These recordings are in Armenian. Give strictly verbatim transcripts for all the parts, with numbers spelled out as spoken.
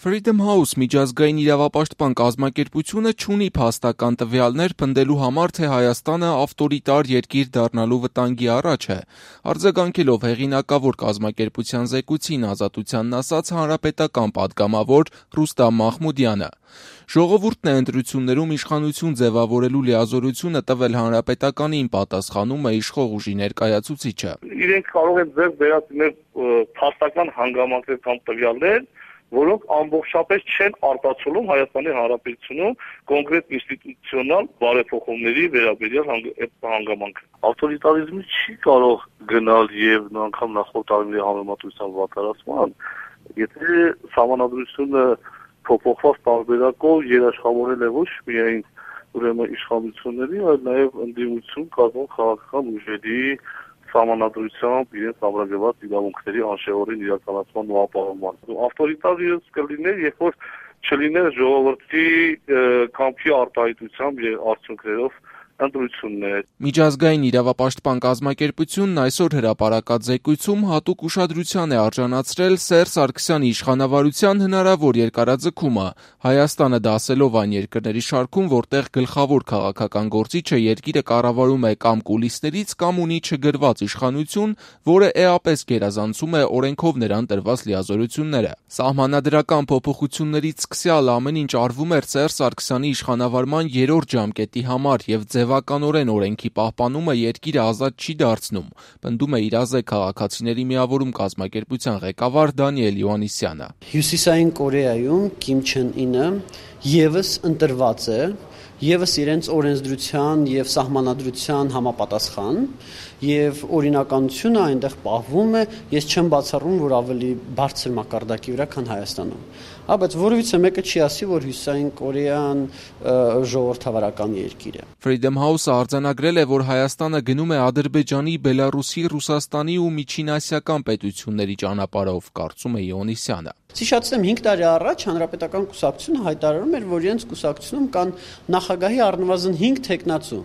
Freedom House միջազգային իրավապաշտպան կազմակերպությունը չունի փաստական տվյալներ պնդելու համար, թե Հայաստանը ավտորիտար երկիր դառնալու վտանգի առաջ է, արձագանքելով հեղինակավոր կազմակերպության զեկույցին, Ազատությանն ասաց հանրապետական պատգամավոր Ռուստամ Մախմուդյանը։ Ժողովուրդն է ընտրություններում իշխանություն ձևավորելու լիազորությունը տվել հանրապետականին, պատասխանում է իշխող ուժի ներկայացուցիչը։ Իրենք կարող են ձեռք բերել փաստական հանգամանքներ կամ տվյալներ, որոնք ամբողջապես չեն արտացոլում Հայաստանի Հանրապետությունում կոնկրետ ինստիտուցիոնալ բարեփոխումների վերաբերյալ այդ հանգամանքը։ Ավտորիտարիզմը չի կարող գնալ եւ անգամ նախորդ տարիների համեմատության վատթարացման, եթե սահմանադրությունը փոփոխված տարբերակով երաշխավորել է ոչ միայն ուրեմն իշխանությունների, այլ նաեւ ընդդիմություն կազմող քաղաքական ուժերի սահմանադրությամբ իրենց ամրագրված իրավունքների անշեղորեն իրականացման ու ապահովման։ Ավտորիտարիզմ կլիներ, երբ որ չլիներ ժողովրդի կամքի արտահայտությամբ եւ արդյունքներով ընտրություններ։ Միջազգային իրավապաշտպան կազմակերպությունն այսօր հրապարակած զեկույցում հատուկ ուշադրության է արժանացրել Սերժ Սարգսյանի իշխանավարության հնարավոր երկարաձգումը, Հայաստանը դասելով այն երկրների շարքում, որտեղ գլխավոր քաղաքական գործիչը երկիրը կառավարում է կամ կուլիսներից, կամ ունի չգրված իշխանություն, որը էապես գերազանցում է օրենքով նրան տրված լիազորությունները։ Սահմանադրական փոփոխություններից սկսյալ ամեն ինչ արվում էր Սերժ Սարգսյանի իշխանավարման երրորդ ժամկետի համար եւ ձևականորեն օրենքի պահպանումը երկիրը ազատ չի դարձնում, պնդում է իրազեկ քաղաքացիների միավորում կազմակերպության ղեկավար Դանիել Յոհաննիսյանը։ Հյուսիսային Կորեայում Կիմ Չեն Ինը եւս ընտրված է, եւս իրենց օրենսդրության եւ սահմանադրության համապատասխան եւ օրինականությունը այնտեղ պահվում է, ես չեմ բացառում, որ ավելի բարձր մակարդակի վրա, քան Հայաստանում։ Հա, բայց որևիցե մեկը չի ասի, որ Հյուսիսային Կորեան ժողովրդավարական երկիր է։ Freedom House-ը արձանագրել է, որ Հայաստանը գնում է Ադրբեջանի, Բելարուսի, Ռուսաստանի ու միջինասիական պետությունների ճանապարհով, կարծում է Յոհաննիսյանը։ Հիշեցնեմ հինգ տարի առաջ հանրապետական կուսակցությունը հայտարարում էր, որ իրենց կուսակցությունում կան նախագահի առնվազն հինգ թեկնածու։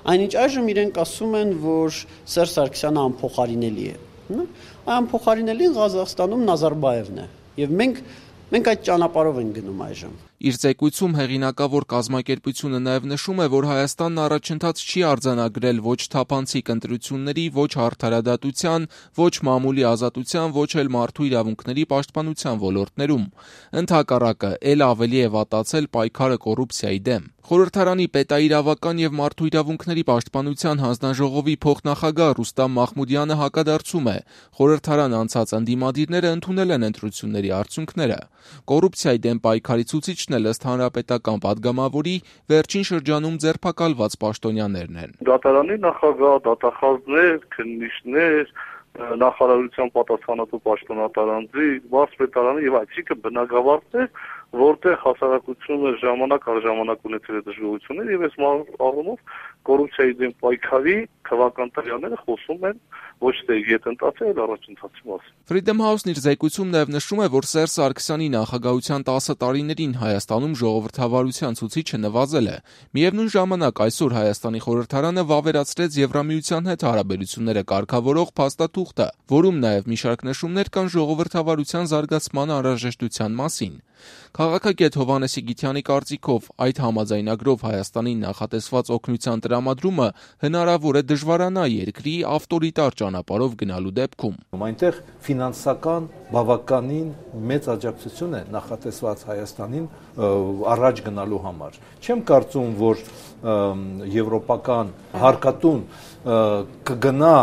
Այնինչ այժմ իրենք ասում են, որ Սերժ Սարգսյանը անփոխարինելի է։ Անփոխարինելին Ղազախստանում Նազարբաևն է։ Եվ մենք մենք այդ ճանապարհով ենք գնում այժմ։ Իր զեկույցում հեղինակավոր կազմակերպությունը նաև նշում է, որ Հայաստանն առաջընթաց չի արձանագրել ոչ թափանցիկ ընտրությունների, ոչ արդարադատության, ոչ մամուլի ազատության, ոչ էլ մարդու իրավունքների պաշտպանության ոլորտներում։ Ընդհակառակը, ել ավելի է վատացել պայքարը կոռուպցիայի դեմ։ Խորհրդարանի պետաիրավական եւ մարդու իրավունքների պաշտպանության հանձնաժողովի փոխնախագահ Ռուստամ Մախմուդյանը հակադարձում է. խորհրդարան անցած ընդդիմադիրները ընդունել են ընտրությունների արդյունքները։ Կոռուպցիայի դեմ պայքարի ցուցիչն էլ ըստ հանրապետական պատգամավորի վերջին շրջանում ձերբակալված պաշտոնյաներն են։ Դատարանի նախագահ, դատախազներ, քննիչներ, նախարարության պատասխանատու պաշտոնատարանձի, վարչապետարանի եւ այսինքն բնակավարներ, որտեղ հասարակությունը ժամանակ առ ժամանակ ունեցել է դժգոհություններ եւ այս առումով կոռուպցիայի դեմ պայքարի քաղաքական տվյալները խոսում են ոչ թե յետընթացի, այլ առաջընթացի մասին։ Freedom House-ն իր զեկույցում նաև նշում է, որ Սերժ Սարգսյանի նախագահության տասը տարիներին Հայաստանում ժողովրդավարության ցուցիչը նվազել է։ Միևնույն ժամանակ այսօր Հայաստանի խորհրդարանը վավերացրեց Եվրամիության հետ հարաբերությունները կարգավորող փաստաթուղթը, որում նաև մի շարք նշումներ կան ժողովրդավարության զարգացման անհրաժեշտության մասին։ Քաղաքագետ Հովհաննես Գիթյանի կարծիքով այդ համաձայնագրով Հայաստանին նախատեսված օգնության տրամադրումը հնարավոր է դժվարանա երկրի ավտորիտար ճանապարհով գնալու դեպքում։ Այնտեղ ֆինանսական բավականին մեծ աջակցություն է նախատեսված Հայաստանին առաջ գնալու համար։ Չեմ կարծում, որ եվրոպական հարկատուն կգնա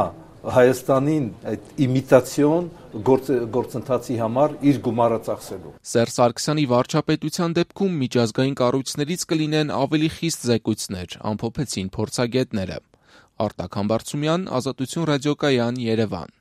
Հայաստանին այդ իմիտացիոն գործընթացի համար իր գումարը ծախսելու։ Սերժ Սարգսյանի վարչապետության դեպքում միջազգային կառույցներից կլինեն ավելի խիստ զեկույցներ, ամփոփեցին փորձագետները։ Արտակ Համբարձումյան, Ազատություն ռադիոկայան, Երևան։